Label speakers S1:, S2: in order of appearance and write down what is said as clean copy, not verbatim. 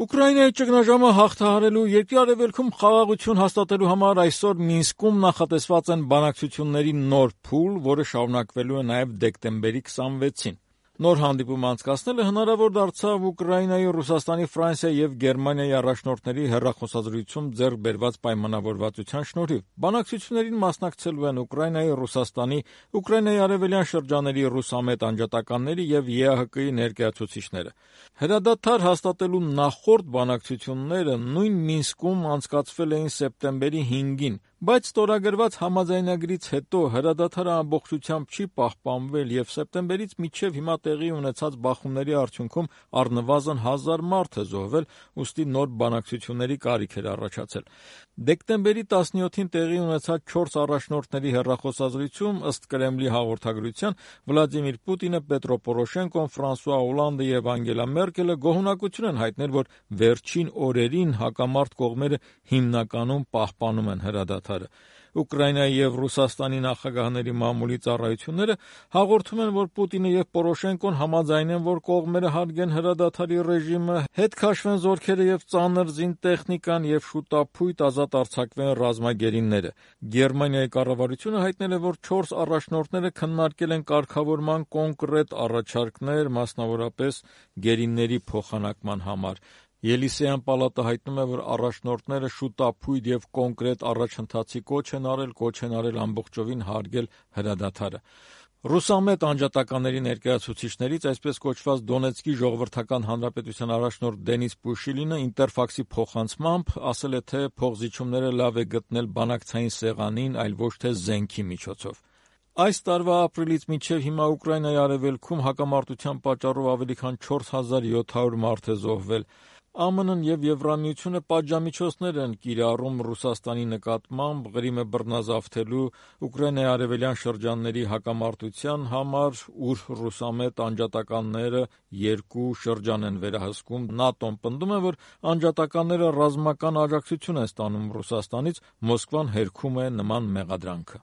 S1: Ուկրաինայի ճգնաժամը հաղթահարելու երկրի արևելքում խաղաղություն հաստատելու համար այսօր Մինսկում նախատեսված են բանակցությունների նոր փուլ, որը շարունակվելու է նաև դեկտեմբերի 26-ին։ Նոր հանդիպում անցկացնելը հնարավոր դարձավ Ուկրաինայի, Ռուսաստանի, Ֆրանսիայի և Գերմանիայի առաջնորդների հեռախոսազրույցում ձեռք բերված պայմանավորվածության շնորհիվ։ Բանակցություններին մասնակցելու են Ուկրաինայի, Ռուսաստանի, Ուկրաինայի արևելյան շրջանների ռուսամետ անջատականների և ԵԱՀԿ-ի ներկայացուցիչները։ Հրադադար հաստատելու նախորդ բանակցությունները նույն Մինսկում անցկացվել էին սեպտեմբերի 5-ին, բայց ստորագրված համաձայնագրից հետո հրադադարը ամբողջությամբ չի պահպանվել և սեպտեմբերից մինչև հիմա տեղի ունեցած բախումների արդյունքում առնվազն 1000 մարդ է զոհվել, ուստի նոր բանակցությունների կարիք էր առաջացել։ Դեկտեմբերի 17-ին տեղի ունեցած 4 առաջնորդների հեռախոսազրույցում, ըստ Կրեմլի հաղորդագրության, Վլադիմիր Պուտինը, Պետրո Պորոշենկոն, Ֆրանսուଆ Օլանդը և Անգելա Մերկելը գոհունակություն են հայտնել, որ վերջին օրերին հակամարտ կողմերը հիմնականում պահպանում են հրադադարը։ Ուկրաինայի և Ռուսաստանի նախագահների մամուլի ծառայությունները հաղորդում են, որ Պուտինը և Պորոշենկոն համաձայն են, որ կողմերը հարգեն հրադադարի ռեժիմը, հետ քաշվեն զորքերը և ծանր զինտեխնիկան և շուտափույթ ազատ արձակվեն ռազմագերիները։ Գերմանիայի կառավարությունը հայտնել է, որ 4 առաջնորդները քննարկել են կարգավորման կոնկրետ առաջարկներ, մասնավորապես գերիների փոխանակման համար։ Ելիսեյան պալատը հայտնում է, որ առաջնորդները շուտափույթ և կոնկրետ առաջընթացի կոչ են արել ամբողջովին հարգել հրադադարը։ Ռուսամետ անջատականների ներկայացուցիչներից այսպես կոչված Դոնեցկի ժողովրդական հանրապետության առաջնորդ Դենիս Պուշիլինը Ինտերֆաքսի փոխանցմամբ ասել է, թե փոխզիջումները լավ է գտնել բանակցային սեղանին, այլ ոչ թե զենքի միջոցով։ Այս տարվա ապրիլից մինչև հիմա Ուկրաինայի արևելքում հակամարտության պատճառով ավելի քան 4700 մարդ է զոհվել։ ԱՄՆ-ն և Եվրամիությունը պատժամիջոցներ են կիրառում Ռուսաստանի նկատմամբ Ղրիմը բռնազավթելու, Ուկրաինայի արևելյան շրջանների հակամարտության համար, ուր ռուսամետ անջատականները 2 շրջան են վերահսկում։ ՆԱՏՕ-ն պնդում է, որ անջատականները ռազմական աջակցություն են ստանում Ռուսաստանից, Մոսկվան հերքում է նման մեղադրանքը։